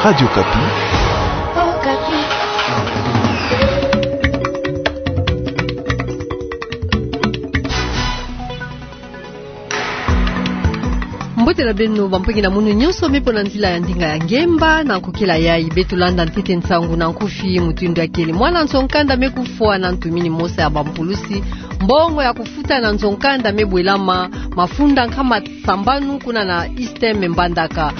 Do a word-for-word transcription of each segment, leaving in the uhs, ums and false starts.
Radio Okapi. Mbote na beno bampangi na munu nyonso me po na nzila ya ndinga ya ngemba, na nkokila yayi beto landa ntete nsangu na nkufi mutindu ya kele. Mwana nzo-nkanda me kufwa na ntumini mosi ya bampulusi mbongo ya kufuta na nzo-nkanda me bwelama mafunda nkama sambanu kuna na East M Mbandaka.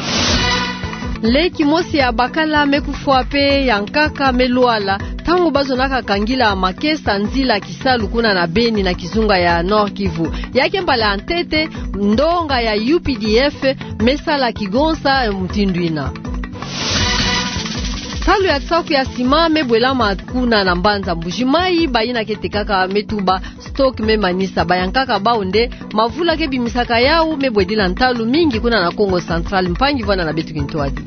Leki mosi ya bakala me kufwa pe ya nkaka me lwala, ntangu bazonaka kangila makesa nzila kisalu kuna na Beni na kizunga ya Nord-Kivu. Ya ke mbala ya ntete, ndonga ya U P D F me sala kigonsa mutindu yina. Salu ya nsaku ya sima me bwelama kuna na mbanza Mbuji-Mayi, bayina ke tekaka me tuba stock me manisa. Bayankaka bau nde mavula ke bimisaka yau me bwedila ntalu mingi kuna na Kongo Central. Mpangi, vwanda na beto kintwadi.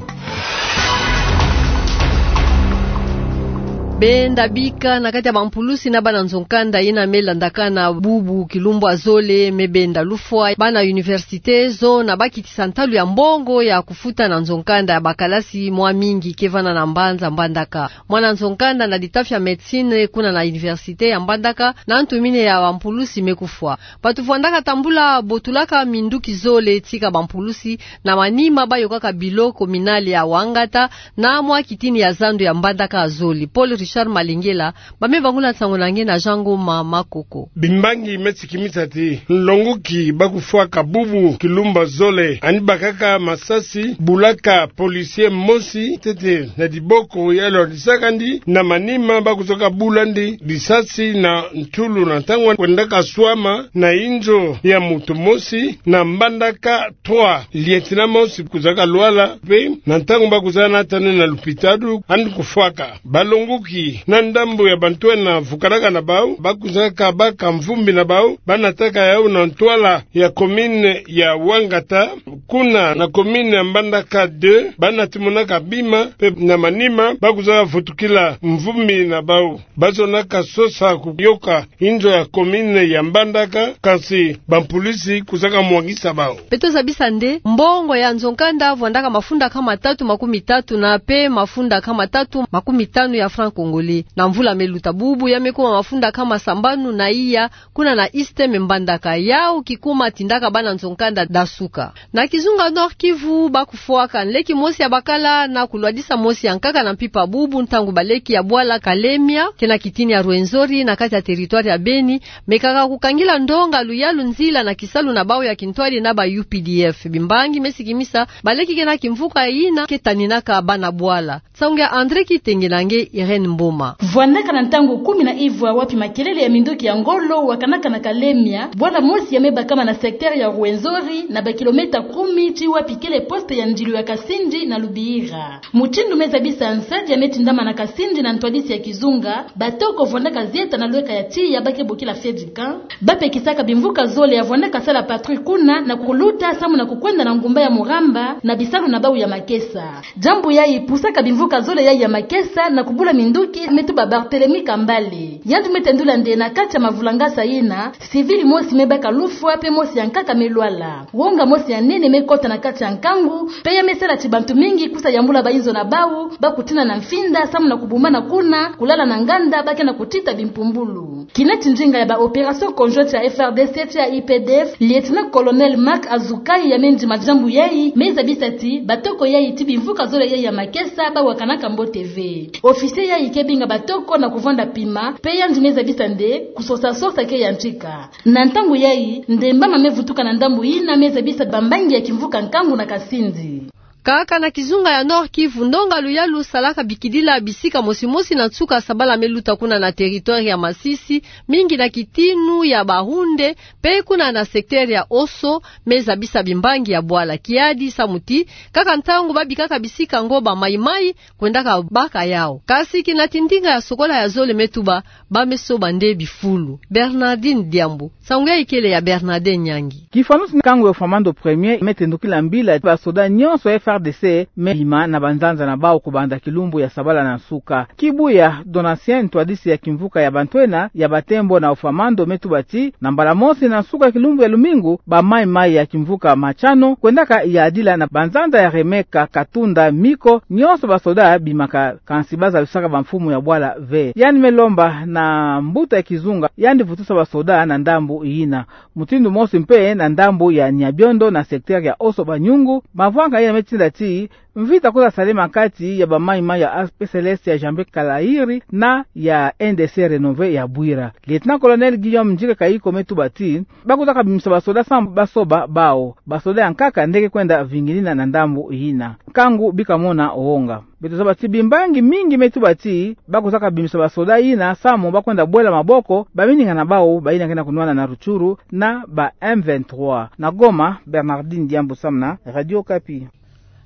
Benda bika na kati ya bampulusi na bana nzo-nkanda yina me landakana bubu kilumbu ya zole me benda lufwa. Bana université zo na bakitisa ntalu ya mbongo ya kufuta na nzo-nkanda ya bakalasi mwa mingi ke vwanda na mbanza Mbandaka. Mwana nzo-nkanda na litafi ya médecine kuna na université ya Mbandaka na ntumini ya bampulusi me kufwa. Bato vwandaka tambula botulaka minduki zole tika bampulusi na manima bayokaka bilo communal ya Wangata na mwa kitini ya zando ya Mbandaka ya zole. Paul Richard Malengela, ba me bangula nsangu na nge na Jean Ngoma Makoko. Bimbangi me sikimisa ti nlongoki ba kufwaka bubu kilumbu ya zole, ani bakaka masasi, bulaka policier mosi ntete na diboko, ya lwarisaka ndi, na manima ba kuzaka bula ndi lisasi na ntulu na ntangu kwendaka swama na inzo ya moto mosi na Mbandaka trois, lieutenant mosi kuzaka lwala, pe na ntangu ba kuzana nata nde na lupitalu, ani kufwaka. Balongoki na ndambu ya bantu ena vukanaka na bau, ba kuzaka baka mvumbi na bau, ba nataka yau na ntwala ya commune ya Wangata, kuna na commune ya Mbandaka deux, ba nati monaka bima, pe na manima ba kuzaka vutukila mvumbi na bau. Ba zonaka sosa kuyoka inzo ya commune ya Mbandaka, kansi bampulusi kuzaka mwangisa bau. Beto zabisa nde mbongo ya nzo-nkanda vwandaka mafunda nkama tatu makumi tatu na pe mafunda nkama tatu makumi tanu ya franc congolais. Na mvula me luta, bubu ya me kuma mafunda nkama sambanu na iya kuna na East M Mbandaka. Yau kikuma tindaka bana nzo-nkanda da suka. Na kizunga Nord-Kivu ba kufwaka nleki mosi ya bakala na kulwadisa mosi ya nkaka na mpimpa bubu, ntangu baleki ya bwala Kalemia, ke na kitini ya Rwenzori na kati ya territoire ya Beni, mekaka kukangila ndonga luyalu nzila na kisalu na bau ya kintwadi na ba U P D F. Bimbangi me sikimisa baleki ke na kimvuka yina ke taninaka bana bwala. Nsangu ya André Kitenge na nge Irène Mboma. Vwandaka na ntangu kumi na ivwa wapi makelele ya minduki ya ngolo wakanaka na Kalemia, bwala mosi ya me bakama na secteur ya Rwenzori, na ba kilomètre kumi ti wapi kele poste ya ndilu ya Kasindi na Lubira. Mutindu me zabisa nsadi ya me tindama na Kasindi na ntwadisi ya kizunga, batoko vwandaka zieta na lweka ya tiya ba ke bokila feu de camp, ba pekisaka bimvuka zole ya vwandaka sala patrouille kuna na kuluta samu na kukwenda na ngumba ya Muramba na bisalu na bau ya makesa. Diambu yayi pusaka bimvuka zole yayi ya makesa na kubula minduki, me tuba Barthélemy Kambale. Yandi me tendula nde na kati ya mavulangasa yina, civil mosi me baka lufwa pe mosi ya nkaka me lwala. Wonga mosi ya nene me kota na kati ya nkangu, pe ya me sala ti bantu mingi kusa yambula ba inzo na bau, ba kutina na mfinda samu na kubumbana kuna, kulala na nganda, ba ke na kutita bimpumbulu. Kineti ndinga ya ba opération conjointe ya F R D C ti ya U P D F, lieutenant-colonel Marc Azukai, ya me ndima diambu yayi, me zabisa ti batoko yayi ti bimvuka zole yayi ya makesa ba wakanaka mbote ve. Officier yayi ke binga batoko na kuvwanda pima, pe yandi me zabisa nde kusosa-sosa ke yantika. Na ntangu yayi, ndemba ma me vutuka na ndambu yina me zabisa bambangi ya kimvuka nkangu na Kasindi. Kaka na kizunga ya Nord-Kivu, ndonga luyalu salaka bikidila bisika mosi-mosi na nsuka sabala me luta kuna na territoire ya Masisi, mingi na kitinu ya Bahunde, pe kuna na secteur ya Oso, me zabisa bimbangi ya bwala. Kiadi samu ti, kaka ntangu ba bikaka bisika ngo ba Mai-Mai kwendaka baka yau. Kasi kineti ndinga ya sokola ya zole me tuba, ba me soba nde bifulu. Bernardine Diambu. Nsangu yayi kele ya Bernardin Nyangi. Kifwanusi nkangu ya Famando premier me tendukila mbila ba soda nyonso ya F R D C me bima na banzanza na bawu kubanza kilumbu ya sabala na nsuka. Kibuya Donatien, ntwadisi ya kimvuka ya bantwenia ya Batembo na Ofamando, me tuba ti, na mbala mosi na nsuka kilumbu ya lumingu, bamayi-mayi ya kimvuka Machano kwendaka yadila na banzanza ya Remeka, Katunda, Miko, nyonso basoda bimaka, kansi bazalusaka bamfumu ya bwala ve. Yandi me lomba na mbuta ya kizunga yandi vutusa basoda na ndambu yina. Mutindu mosi mpe na ndambu ya Nyabiondo na secteur ya Oso Banyungu, mavwanga yina me tinda ti mvita kwiza salama kati ya bamayi-mayi ya A P C L S ya Jean-Pierre Kalairi na ya N D C Renové ya Bwira. Lieutenant-colonel Guillaume Ndjike Kayiko me tuba ti bakwizaka bimisa basoda samu basoba bawu. Basoda ya nkaka nde ke kwenda vingilina na ndambu yina. Nkangu bika mona wonga. Beto zaba ti bimbangi mingi me tuba ti bakwizaka bimisa basoda yina samu bakwenda bwela maboko bamininga na bawu bayina ke na kunwana na Rutshuru na ba M vingt-trois. Na Goma, Bernardine Diambu samu na Radio Okapi.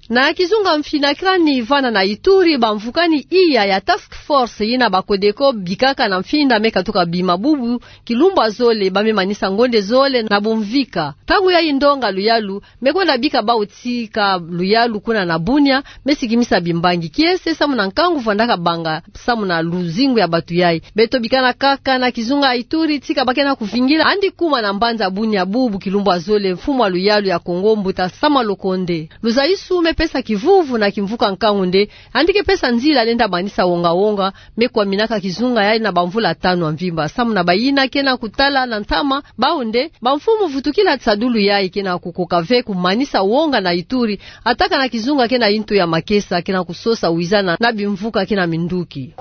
Na kizunga mfinakani vana na Ituri, bamvukani iya ya task force yina ba Codeco bikaka na mfinda me katuka bima bubu kilumbu ya zole, ba me manisa ngonde zole na bumvika. Ntangu yayi ndonga luyalu me kwenda bika bawu tika luyalu kuna na Bunia, me sikimisa bimbangi kiese samu na nkangu vwandaka banga samu na luzingu ya batu yayi. Beto bikana kaka na kizunga Ituri, tika ba ke na kuvingila, yandi kuma na mbanza Bunia bubu kilumbu ya zole, mfumu ya luyalu ya Kongo, mbuta Sama Lokonde. Luzayusu me pesa kivuvu na kimvuka nkangu nde yandi ke pesa nzila lenda manisa wonga-wonga, me kwaminaka kizunga yayi na bamvula tanu ya mvimba. Samu na bayina ke na kutala na ntama, bawu nde bamfumu vutukila sadulu yayi ke na kukoka ve kumanisa wonga na Ituri, ataka na kizunga ke na yintu ya makesa, ke na kusosa wizana na bimvuka ke na minduki.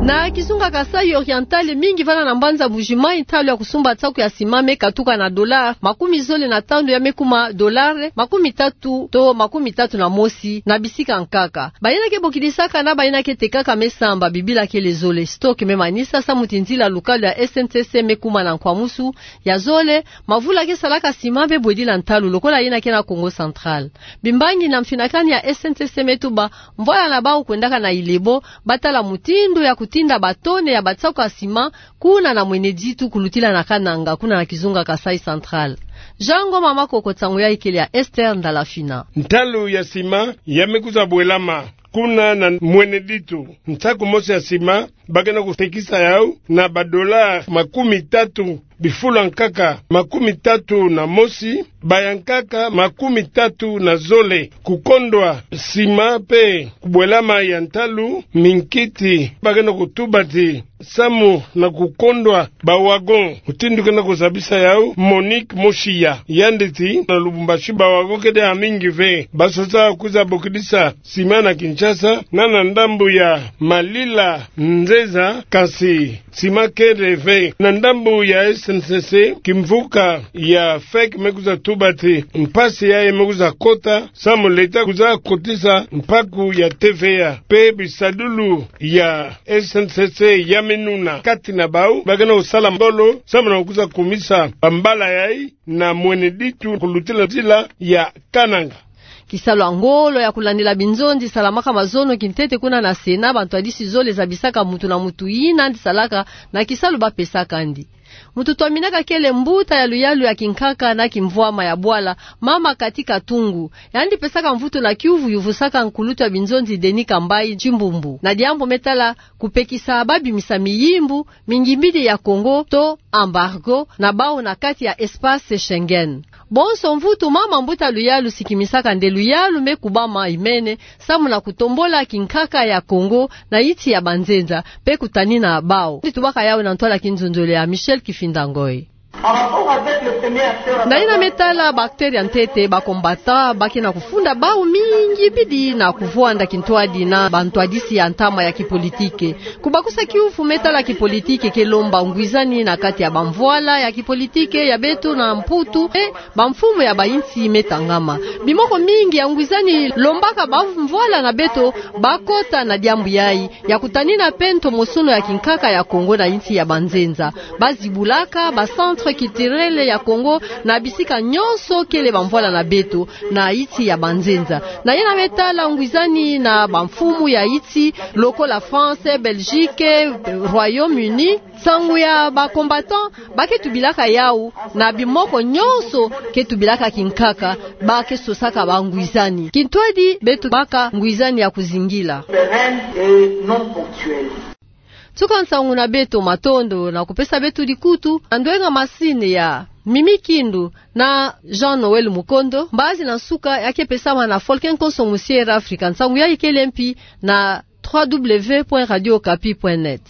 Na kizunga Kasaï Oriental, mingi vana na mbanza Mbujimayi, ntalu ya kusumba nsaku ya sima me katuka na dollar makumi zole na tanu, ya me kuma dollar makumi tatu to makumi tatu na mosi na bisika nkaka. Bayina ke bokidisaka na bayina ke tekaka me samba, bibila kele zole. Stock me manisa samu ti nzila lukalu ya S N C C me kuma na nkwamusu ya zole, mavula ke salaka sima me bwedila ntalu lokola yina ke na Kongo Central. Bimbangi na mfinakani ya S N C C me tuba mvwala na bawu kwendaka na Ilebo, batala mutindu ya kutinda batone ya bansaku ya sima kuna na Mweneditu kulutila na Kananga, kuna na kizunga Kasaï Central. Jean Ngoma Makoko, nsangu yayi kele ya Esther Ndalafina. Ntalu ya sima ya me kwiza bwelama kuna na Mweneditu, nsaku mosi ya sima ba ke na kutekisa yawu na ba dollar makumi tatu, bifulu nkaka makumi tatu na mosi, ba ya nkaka makumi tatu na zole. Kukondwa sima mpe kubwelama ya ntalu, minkiti ba ke na kutuba ti samu na kukondwa ba wagon, mutindu ke na kuzabisa yawu Monique Moshiya. Yandi ti na Lubumbashi ba wagon kele ya mingi ve. Ba sosa kwiza bokidisa sima na Kinshasa na na ndambu ya Malila, Nzeza, kansi sima kele ve. Na ndambu ya S N C C, kimvuka ya FEC me kwiza tuba ti mpasi yayi me kwiza kota samu l'État kwiza kotisa mpaku ya T V A. Mpe bisadulu ya S N C C ya me nuna kati na bawu ba ke na kusala ngolo samu na kwiza kumisa bambala yayi na Mweneditu kulutila nzila ya Kananga. Kisalu ya ngolo ya kulandila binzonzi salamaka mazono kintete kuna na Sénat, bantwadisi zole zabisaka mutu na mutu yina yandi salaka na kisalu ba pesaka yandi. Mutu twaminaka kele mbuta ya luyalu ya kinkaka na kimvwama ya bwala, mama Cathy Katungu. Yandi pesaka mvutu na kiuvu, yuvusaka nkulutu ya binzonzi Denis Kambayi Tshimbumbu na diambu me tala kupekisa ba bimisa miyimbu mingimbidi ya Congo to embargo na bawu na kati ya espace Schengen. Bonso mvutu mama mbuta luyalu sikimisaka nde luyalu me kubama imene samu na kutombola kinkaka ya Congo na yinsi ya banzenza mpe kutanina bawu. Yandi tubaka yawu na ntwala kinzonzolo ya Michel Kifinda Ngoy. Na yina me tala ba acteurs ya ntete, ba combattants, ba ke na kufunda bawu mingi bidi na kuvwanda kintwadi na bantwadisi ya ntama ya kipolitike. Kubakusa kiuvu me tala kipolitike ke lomba ngwizani na kati ya bamvwala ya kipolitike ya beto na Mputu, e, bamfumu ya bayinsi me tangama. Bimoko mingi ya ngwizani lombaka bamvwala na beto ba kota na diambu yayi, ya kutanina mpe ntomosono ya kinkaka ya Congo na yinsi ya banzenza. Ba zibulaka ba centres Centre culturel ya Kongo, na bisika nyonso kele bamvwala na beto, na yiti ya banzenza. Na yina me tala ngwizani na bamfumu ya yiti, lokola France, Belgique, Royaume-Uni. Nsangu ya ba combattants, ba ke tubilaka yawu, na bimoko nyonso ke tubilaka kinkaka, ba ke sosaka bangwizani. Kintwadi beto baka ngwizani ya kuzingila. Pérenne et non ponctuelle. Nsuka nsangu na beto, matondo na kupesa beto dikutu, na ndwenga masini ya Mimi Kindu na Jean Noël Mukondo, mbazi na nsuka ya ke pesama na Folke Nkonso Musier Africa, nsangu ya ikele mpi na trois W point radio okapi point net.